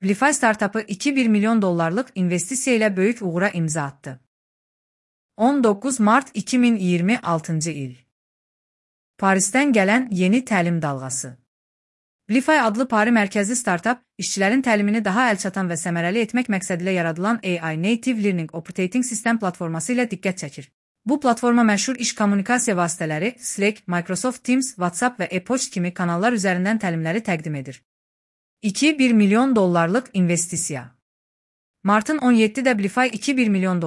Blify startapı $2,1 milyon investisiya ilə böyük uğura imza attı. 19 Mart 2026 il. Parisdən gələn yeni təlim dalğası. Blify adlı Pari mərkəzli startap, işçilərin təlimini daha əlçatan və səmərəli etmək məqsədilə yaradılan AI Native Learning Operating System platforması ilə diqqət çəkir. Bu platforma məşhur iş kommunikasiya vasitələri Slack, Microsoft Teams, WhatsApp və e-poçt kimi kanallar üzərindən təlimləri təqdim edir. $2,1 milyon investisiya. Martın 17-də Blify $2,1 milyon,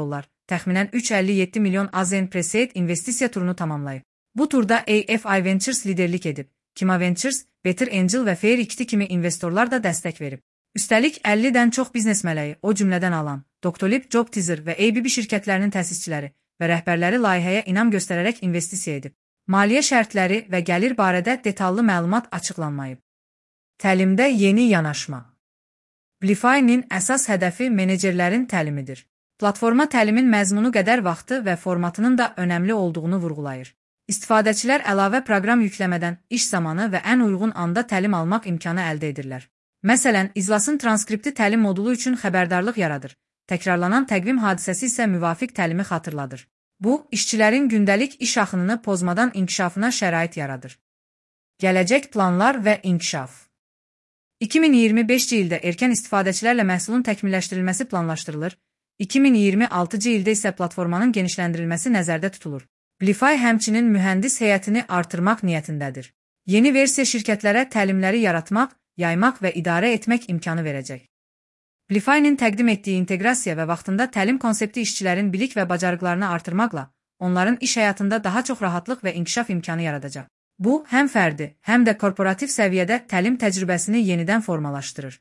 təxminən $357 milyon AZN Pre-Seed investisiya turunu tamamlayıb. Bu turda AFI Ventures liderlik edib. Kima Ventures, Better Angel və Fair XT kimi investorlar da dəstək verib. Üstəlik 50-dən çox biznes mələyi, o cümlədən alan, Doctolib, JobTeaser və ABB şirkətlərinin təsisçiləri və rəhbərləri layihəyə inam göstərərək investisiya edib. Maliyyə şərtləri və gəlir barədə detallı məlumat açıqlanmayıb. Təlimdə yeni yanaşma. Blify-nin əsas hədəfi menecerlərin təlimidir. Platforma təlimin məzmunu qədər vaxtı və formatının da önəmli olduğunu vurğulayır. İstifadəçilər əlavə proqram yükləmədən iş zamanı və ən uyğun anda təlim almaq imkanı əldə edirlər. Məsələn, iclasın transkripti təlim modulu üçün xəbərdarlıq yaradır. Təkrarlanan təqvim hadisəsi isə müvafiq təlimi xatırladır. Bu, işçilərin gündəlik iş axınını pozmadan inkişafına şərait yaradır. Gələcək planlar və inkişaf. 2025-ci ildə erkən istifadəçilərlə məhsulun təkmilləşdirilməsi planlaşdırılır. 2026-cı ildə isə platformanın genişləndirilməsi nəzərdə tutulur. Blify həmçinin mühəndis heyətini artırmaq niyyətindədir. Yeni versiya şirkətlərə təlimləri yaratmaq, yaymaq və idarə etmək imkanı verəcək. Blify-nin təqdim etdiyi inteqrasiya və vaxtında təlim konsepti işçilərin bilik və bacarıqlarını artırmaqla, onların iş həyatında daha çox rahatlıq və inkişaf imkanı yaradacaq. Bu, həm fərdi, həm də korporativ səviyyədə təlim təcrübəsini yenidən formalaşdırır.